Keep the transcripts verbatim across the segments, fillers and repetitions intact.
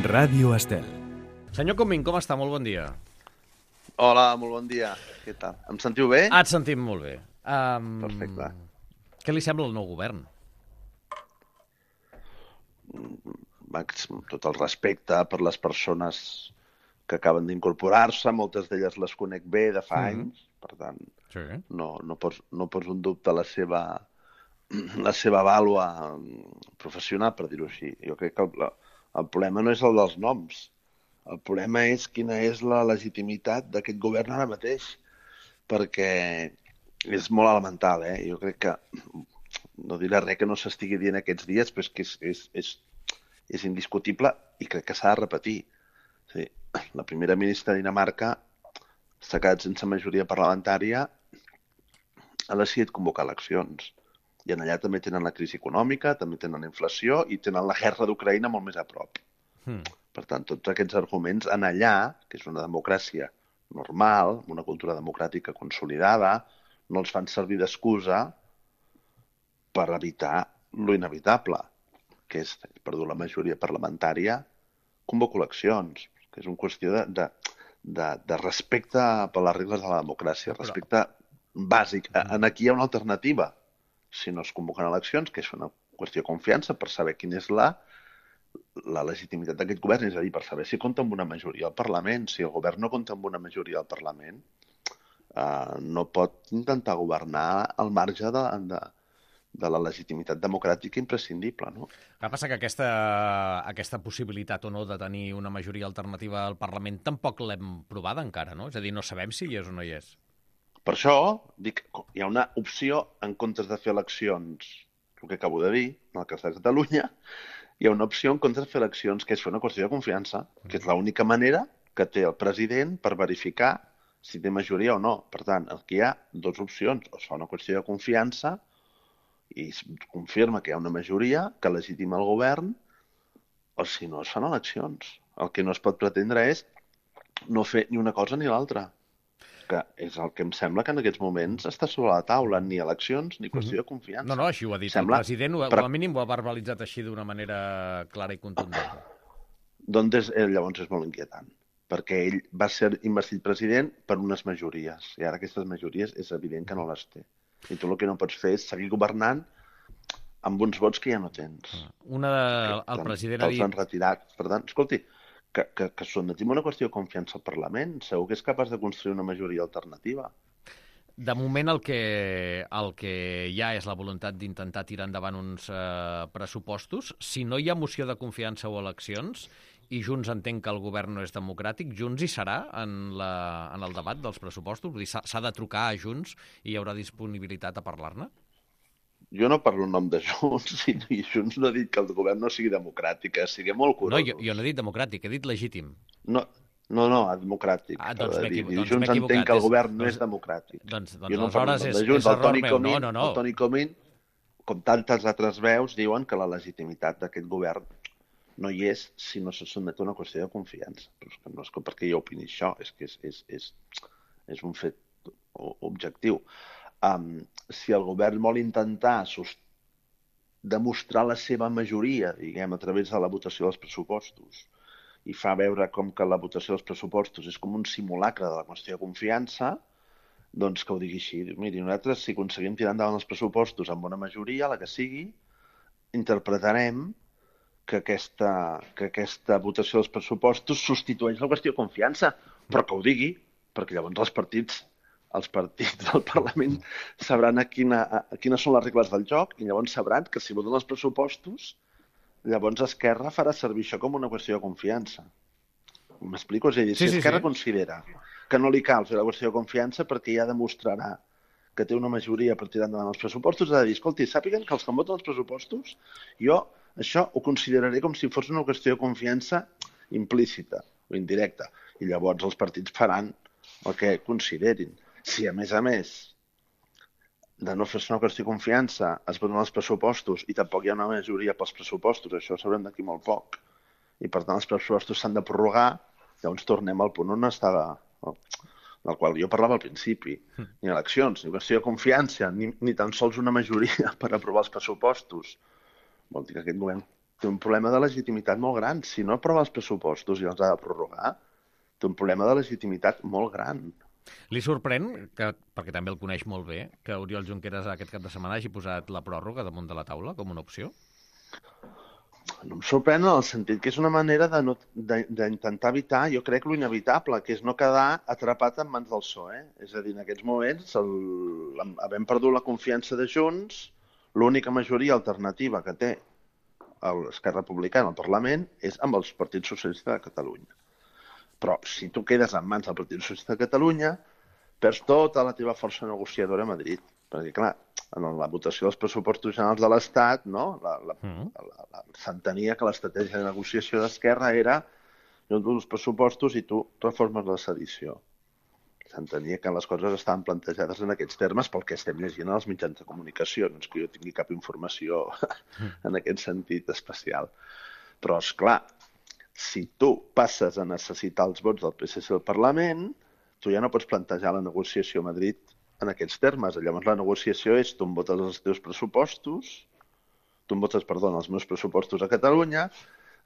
Ràdio Estel. Senyor Comín, com està? Molt bon dia. Hola, molt bon dia. Què tal? Em sentiu bé? Ah, et sentim molt bé. Um, Perfecte. Què li sembla el nou govern? Max, tot el respecte per les persones que acaben d'incorporar-se, moltes d'elles les conec bé de fa Mhm. anys, per tant, Sí. no, no, pos, no poso en dubte la seva, la seva vàlua professional, per dir-ho així. Jo crec que el, el problema no és el dels noms. El problema és quina és la legitimitat d'aquest govern ara mateix, perquè és molt elemental, eh? Jo crec que, no diré res que no s'estigui dient aquests dies, però és que és, és, és, és indiscutible i crec que s'ha de repetir. Sí, la primera ministra de Dinamarca s'ha quedat sense majoria parlamentària, ha decidit convocar eleccions. I en allà també tenen la crisi econòmica, també tenen la inflació i tenen la guerra d'Ucraïna molt més a prop. Hmm. Per tant, tots aquests arguments en allà, que és una democràcia normal, una cultura democràtica consolidada, no els fan servir d'excusa per evitar lo inevitable, que és, perdó, la majoria parlamentària, convoco eleccions, que és una qüestió de, de, de, de respecte per les regles de la democràcia, respecte bàsic. En aquí hi ha una alternativa. Si no es convoquen eleccions, que és una qüestió de confiança per saber quina és la, la legitimitat d'aquest govern, és a dir, per saber si compta amb una majoria al Parlament. Si el govern no compta amb una majoria al Parlament, eh, no pot intentar governar al marge de, de, de la legitimitat democràtica imprescindible, no? El que passa que aquesta, aquesta possibilitat o no de tenir una majoria alternativa al Parlament tampoc l'hem provada encara, no? És a dir, no sabem si hi és o no hi és. Per això, dic, hi ha una opció en comptes de fer eleccions, el que acabo de dir, en el cas de Catalunya, hi ha una opció en comptes de fer eleccions, que és fer una qüestió de confiança, que és l'única manera que té el president per verificar si té majoria o no. Per tant, aquí hi ha dues opcions. O es fa una qüestió de confiança i es confirma que hi ha una majoria que legitima el govern, o si no, es fan eleccions. El que no es pot pretendre és no fer ni una cosa ni l'altra, que és el que em sembla que en aquests moments està sobre la taula, ni eleccions ni qüestió de confiança. No, no, així ho ha dit Sembla- el president, o per- al mínim ho ha verbalitzat així d'una manera clara i contundent. Doncs és, eh, llavors és molt inquietant, perquè ell va ser investit president per unes majories, i ara aquestes majories és evident que no les té. I tu el que no pots fer és seguir governant amb uns vots que ja no tens. Una de, el Te'n- president ha Te'ls han dit... retirat. Per tant, escolti, que, que, que sotmetim una qüestió de confiança al Parlament, segur que és capaç de construir una majoria alternativa. De moment el que, el que hi ha és la voluntat d'intentar tirar endavant uns eh, pressupostos. Si no hi ha moció de confiança o eleccions, i Junts entén que el govern no és democràtic, Junts hi serà en, la, en el debat dels pressupostos? Vull dir, s'ha s'ha de trucar a Junts i hi haurà disponibilitat a parlar-ne? Jo no parlo en nom de Junts, i, i Junts no ha dit que el govern no sigui democràtic, eh? Sigui molt No, curosos. jo, jo no he dit democràtic, he dit legítim. No, no, no, democràtic. Ah, doncs acaba de m'he dir. equivo- I doncs Junts m'he equivocat. entén que el És- govern no doncs- és democràtic. Doncs, doncs Jo no parlo en aleshores nom és, de Junts. és El error Toni meu. Comín, No, no, no. el Toni Comín, com tantes altres veus, diuen que la legitimitat d'aquest govern no hi és si no se sotmet a una qüestió de confiança. Però és que no és que perquè jo opini això, és que és, és, és, és un fet o- objectiu. Um, si el govern vol intentar sos- demostrar la seva majoria, diguem, a través de la votació dels pressupostos, i fa veure com que la votació dels pressupostos és com un simulacre de la qüestió de confiança, doncs que ho digui així. Diu, miri, nosaltres, si aconseguim tirar endavant els pressupostos amb bona majoria, la que sigui, interpretarem que aquesta, que aquesta votació dels pressupostos substitueix la qüestió de confiança, però que ho digui, perquè llavors els partits els partits del Parlament sabran a quina, a quines són les regles del joc i llavors sabran que si voten els pressupostos, llavors Esquerra farà servir això com una qüestió de confiança. M'explico? És a dir, Sí, si sí, Esquerra sí. considera que no li cal fer la qüestió de confiança perquè ja demostrarà que té una majoria per tirar endavant els pressupostos, ha de dir, escolti, sàpiguen que els que em voten els pressupostos, jo això ho consideraré com si fos una qüestió de confiança implícita o indirecta. I llavors els partits faran el que considerin. Si, a més a més, de no fer-se una qüestió de confiança, es voten els pressupostos i tampoc hi ha una majoria pels pressupostos, això ho sabrem d'aquí molt poc, i per tant els pressupostos s'han de prorrogar, llavors tornem al punt on estava, del qual jo parlava al principi. Ni eleccions, ni qüestió de confiança, ni, ni tan sols una majoria per aprovar els pressupostos. Vol dir que aquest govern té un problema de legitimitat molt gran. Si no aprova els pressupostos i els ha de prorrogar, té un problema de legitimitat molt gran. Li sorprèn, que, perquè també el coneix molt bé, que Oriol Junqueras aquest cap de setmana hagi posat la pròrroga damunt de la taula com una opció? No em sorprèn en el sentit que és una manera de no, d'intentar evitar, jo crec, lo inevitable, que és no quedar atrapat en mans del P S O E. És a dir, en aquests moments, el, havent perdut la confiança de Junts, l'única majoria alternativa que té l'Esquerra Republicana al Parlament és amb els partits socialistes de Catalunya. Però si tu quedes en mans del Partit Socialista de Catalunya, perds tota la teva força negociadora a Madrid. Perquè, clar, en la votació dels pressupostos generals de l'Estat, no? la, la, mm. la, la, s'entenia que l'estratègia de negociació d'Esquerra era jo dono els pressupostos i tu reformes la sedició. S'entenia que les coses estaven plantejades en aquests termes pel que estem llegint als mitjans de comunicació. No és que jo tingui cap informació en aquest sentit especial. Però, és clar, si tu passes a necessitar els vots del P S C al Parlament, tu ja no pots plantejar la negociació a Madrid en aquests termes. Llavors la negociació és tu em votes els teus pressupostos, tu em votes, perdó, els meus pressupostos a Catalunya,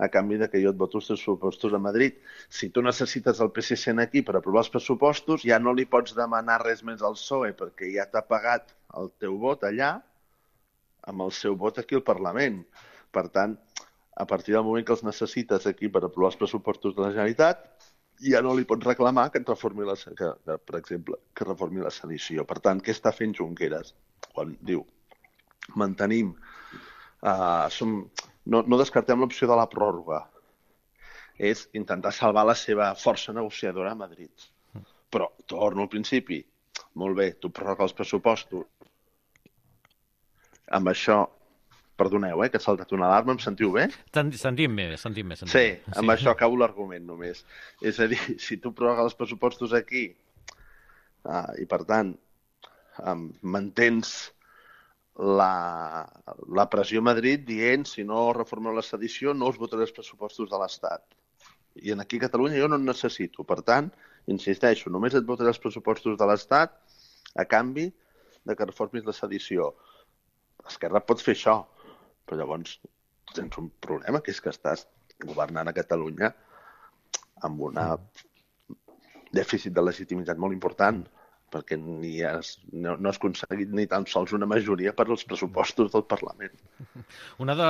a canvi de que jo et voto els teus pressupostos a Madrid. Si tu necessites el P S C aquí per aprovar els pressupostos, ja no li pots demanar res més al P S O E perquè ja t'ha pagat el teu vot allà amb el seu vot aquí al Parlament. Per tant, a partir del moment que els necessites aquí per aprovar els pressupostos de la Generalitat, ja no li pots reclamar que et reformi la, que, que, per exemple, que reformi la sedició. Per tant, què està fent Junqueras? Quan diu, mantenim, uh, som, no, no descartem l'opció de la pròrroga. És intentar salvar la seva força negociadora a Madrid. Però, torno al principi, molt bé, tu prorroga els pressupostos. Amb això, perdoneu, eh, que ha saltat una alarma, em sentiu bé? Sentim bé, sentim bé. Sentim sí, bé. amb sí. Això acabo l'argument només. És a dir, si tu prorrogues els pressupostos aquí uh, i, per tant, um, mantens la, la pressió a Madrid dient si no reformeu la sedició no us votaré els pressupostos de l'Estat. I en aquí a Catalunya jo no en necessito. Per tant, insisteixo, només et votaré els pressupostos de l'Estat a canvi de que reformis la sedició. Esquerra pot fer això, però llavors tens un problema, que és que estàs governant a Catalunya amb un dèficit de legitimitat molt important, perquè ni has, no, no has aconseguit ni tan sols una majoria per als pressupostos del Parlament. Una de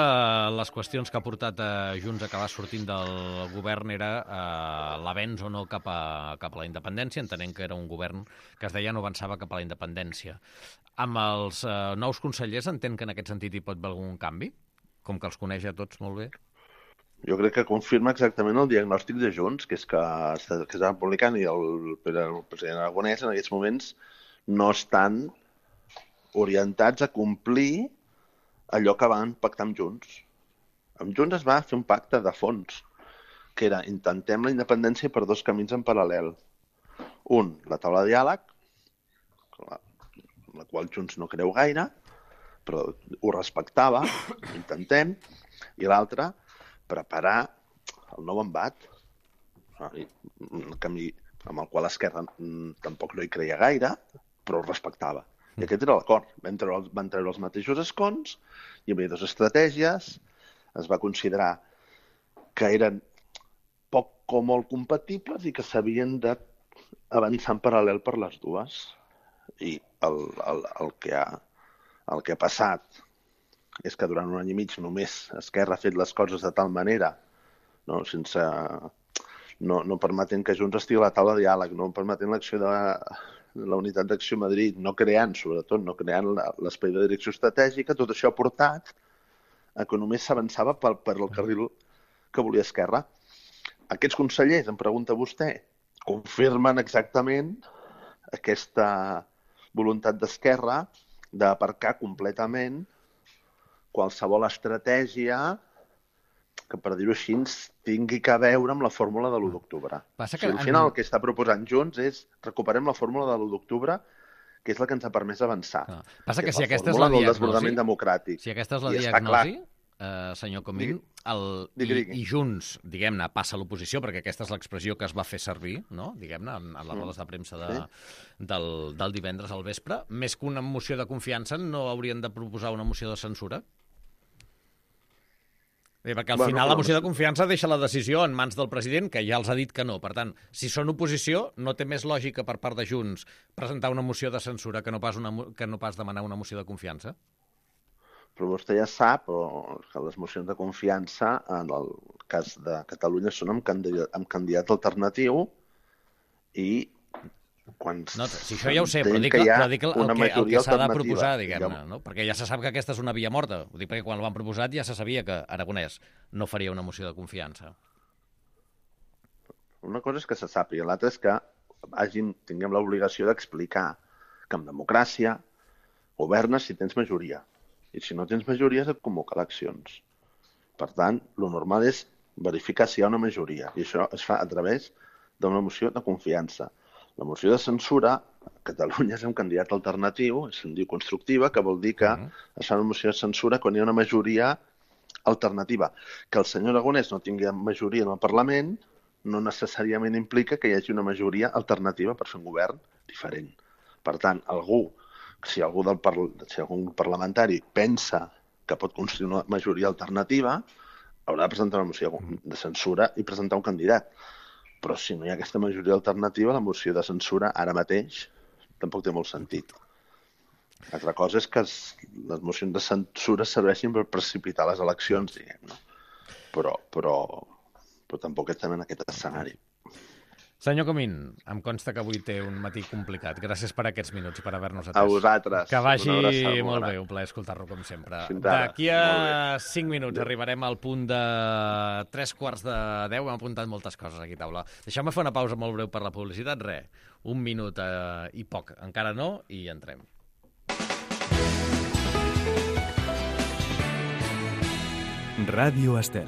les qüestions que ha portat a Junts a acabar sortint del govern era eh, l'avenç o no cap a, cap a la independència, entenent que era un govern que es deia no avançava cap a la independència. Amb els eh, nous consellers entén que en aquest sentit hi pot haver algun canvi? Com que els coneix a tots molt bé? Jo crec que confirma exactament el diagnòstic de Junts, que és que, que està publicant i el, el president Aragonès en aquests moments no estan orientats a complir allò que van pactar amb Junts. Amb Junts es va fer un pacte de fons, que era intentem la independència per dos camins en paral·lel. Un, la taula de diàleg, la, la qual Junts no creu gaire, però ho respectava, intentem, i l'altre, preparar el nou embat, un camí amb el qual l'Esquerra tampoc no hi creia gaire, però ho respectava. I aquest era l'acord. Van treure, van treure els mateixos escons, hi havia dues estratègies, es va considerar que eren poc o molt compatibles i que s'havien d'avançar en paral·lel per les dues. I el, el, el, que ha, el que ha passat és que durant un any i mig només Esquerra ha fet les coses de tal manera, no, sense, no, no permetent que Junts estigui a la taula de diàleg, no permetent l'acció de la, la unitat d'acció a Madrid, no creant, sobretot, no creant l'espai de direcció estratègica, tot això ha portat a que només s'avançava per, per el carril que volia Esquerra. Aquests consellers, em pregunta vostè, confirmen exactament aquesta voluntat d'Esquerra d'aparcar completament qualsevol estratègia que, per dir-ho així, tingui que veure amb la fórmula de l'u d'octubre. O sigui, al final el que està proposant Junts és recuperem la fórmula de l'u d'octubre, que és la que ens ha permès avançar. Ah. Passa que, que si aquesta és la diagnosi, democràtic. Si aquesta és la diagnosi, eh, senyor Comín, el, digui, digui. I, i Junts, diguem-ne, passa a l'oposició, perquè aquesta és l'expressió que es va fer servir, no? Diguem-ne, en, en les rodes de premsa de, sí. del, del divendres al vespre, més que una moció de confiança, no haurien de proposar una moció de censura? Perquè al Bueno, final la però- moció de confiança deixa la decisió en mans del president, que ja els ha dit que no. Per tant, si són oposició, no té més lògica per part de Junts presentar una moció de censura que no pas, una, mo- que no pas demanar una moció de confiança? Però vostè ja sap o, que les mocions de confiança, en el cas de Catalunya, són amb candidat, amb candidat alternatiu i quan No, si això ja ho sé, però tenim dic, que hi ha però dic el, una que, el majoria que s'ha de alternativa. proposar, Hi diguem-ne, ha- no? Perquè ja se sap que aquesta és una via morta. Ho dic perquè quan l'han proposat ja se sabia que Aragonès no faria una moció de confiança. Una cosa és que se sàpiga, l'altra és que hagin, tinguem l'obligació d'explicar que en democràcia governes si tens majoria. I si no tens majoria, et convoca eleccions. Per tant, lo normal és verificar si hi ha una majoria. I això es fa a través d'una moció de confiança. La moció de censura, a Catalunya és un candidat alternatiu, se'n diu constructiva, que vol dir que Mhm. es fa una moció de censura quan hi ha una majoria alternativa. Que el senyor Aragonès no tingui majoria en el Parlament no necessàriament implica que hi hagi una majoria alternativa per fer un govern diferent. Per tant, algú, si algú del parla, si algun parlamentari pensa que pot construir una majoria alternativa, haurà de presentar una moció de censura i presentar un candidat. Però si no hi ha aquesta majoria alternativa, la moció de censura ara mateix tampoc té molt sentit. Altra cosa és que es, les mocions de censura serveixin per precipitar les eleccions, diguem-ne. Però, però, però tampoc estem en aquest escenari. Senyor Comín, em consta que avui té un matí complicat. Gràcies per aquests minuts i per haver-nos atès. A vosaltres. Que vagi Una abraçada molt gran. bé, un plaer escoltar-lo com sempre. Fins ara. D'aquí a Molt cinc minuts Adéu. arribarem al punt de tres quarts de deu. Hem apuntat moltes coses aquí a taula. Deixeu-me fer una pausa molt breu per la publicitat. Re, un minut eh, i poc. Encara no, i entrem. Ràdio Estel.